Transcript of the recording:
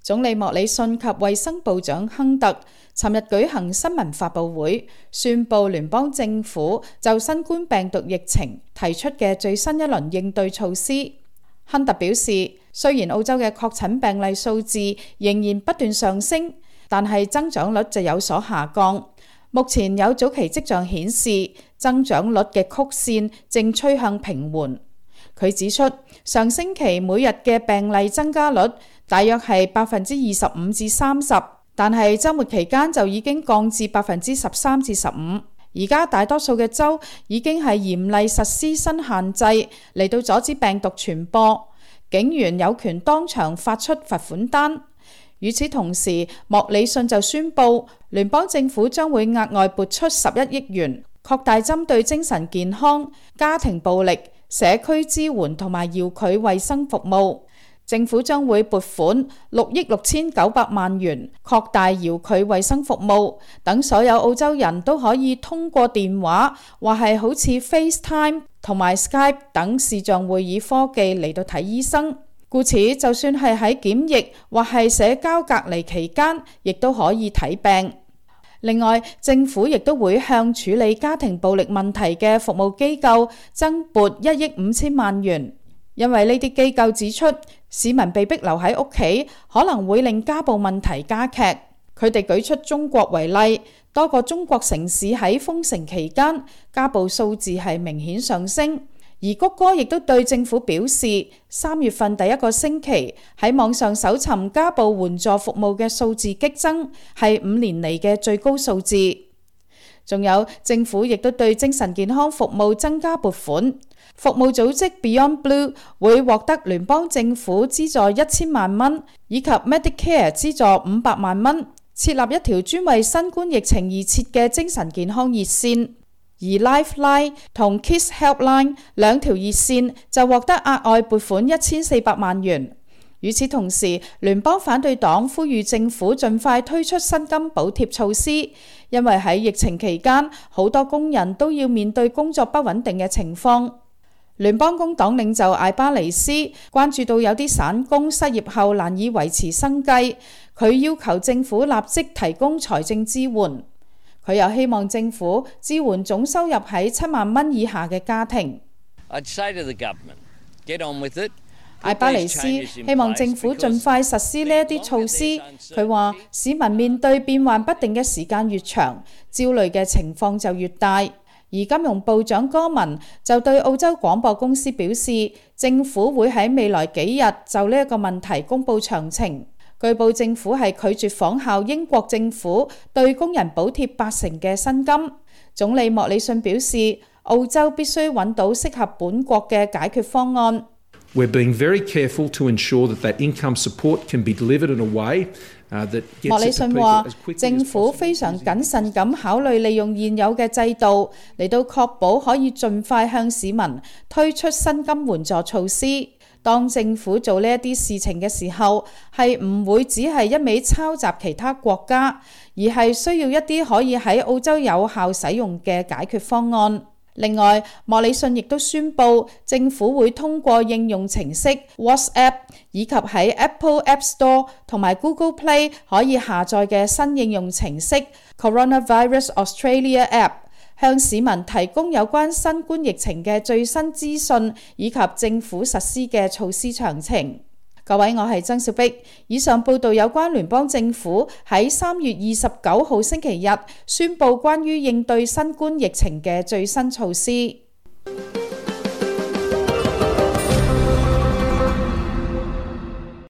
總理莫里遜及衛生部長亨特尋日舉行新聞發佈會，宣布聯邦政府就新冠病毒疫情提出嘅最新一輪應對措施。亨特表示，雖然澳洲嘅確診病例數字仍然不斷上升，但係增長率就有所下降。目前有早期跡象顯示，增長率嘅曲線正趨向平緩。佢指出，上星期每日嘅病例增加率大約係25%至30%，但係週末期間就已經降至13%至15%。而家大多數嘅州已經係嚴厲實施新限制嚟到阻止病毒傳播，警員有權當場發出罰款單。與此同時，莫里遜就宣布聯邦政府將會額外撥出11億元，擴大針對精神健康、家庭暴力、社區支援同埋遙距衛生服務。政府將會撥款6億6900萬元，擴大遙距衛生服務，等所有澳洲人都可以通過電話或係好似 FaceTime 同埋 Skype 等視像會議科技嚟到睇醫生。故此，就算係喺檢疫或係社交隔離期間，亦都可以睇病。另外，政府亦都會向處理家庭暴力問題嘅服務機構增撥1億5千萬元。因為呢啲機構指出，市民被逼留喺屋企，可能會令家暴問題加劇。佢哋舉出中國為例，多個中國城市喺封城期間，家暴數字係明顯上升。而谷歌亦都對政府表示，3月份第一個星期喺網上搜尋家暴援助服務嘅數字激增，係5年嚟嘅最高數字。仲有，政府亦都對精神健康服務增加撥款。服務組織 Beyond Blue 會獲得聯邦政府資助1000萬蚊，以及 Medicare 資助500萬蚊，設立一條專為新冠疫情而設嘅精神健康熱線。而 Lifeline 同 Kids Helpline 兩條熱線就獲得額外撥款1400萬元。與此同時，聯邦反對黨呼籲政府盡快推出薪金補貼措施，因為喺疫情期間，好多工人都要面對工作不穩定嘅情況。聯邦工黨領袖艾巴尼斯關注到有啲散工失業後難以維持生計，佢要求政府立即提供財政支援。佢又希望政府支援總收入喺7萬蚊以下嘅家庭。艾巴尼斯希望政府盡快實施呢一啲措施。佢話市民面對變幻不定嘅時間越長，焦慮嘅情況就越大。而金融部長戈文就對澳洲廣播公司表示，政府會喺未來幾日就呢一個問題公佈詳情。據報政府係拒絕仿效英國政府對工人補貼80%嘅薪金。總理莫里遜表示，澳洲必須揾到適合本國嘅解決方案。We're being very careful to ensure that income support can be delivered in a way that gets it to people as quickly as possible. 莫里遜話，政府非常謹慎咁考慮利用現有嘅制度嚟到確保可以盡快向市民推出薪金援助措施。當政府做呢一啲事情嘅時候，係唔會只係一味抄襲其他國家，而係需要一啲可以喺澳洲有效使用嘅解決方案。另外，莫里遜亦都宣布，政府會通過應用程式 WhatsApp 以及喺 Apple App Store 同埋 Google Play 可以下載嘅新應用程式 Coronavirus Australia App， 向市民提供有關新冠疫情嘅最新資訊以及政府實施嘅措施詳情。各位，我係曾兆碧。以上報道有關聯邦政府喺3月29號星期日宣布關於應對新冠疫情嘅最新措施。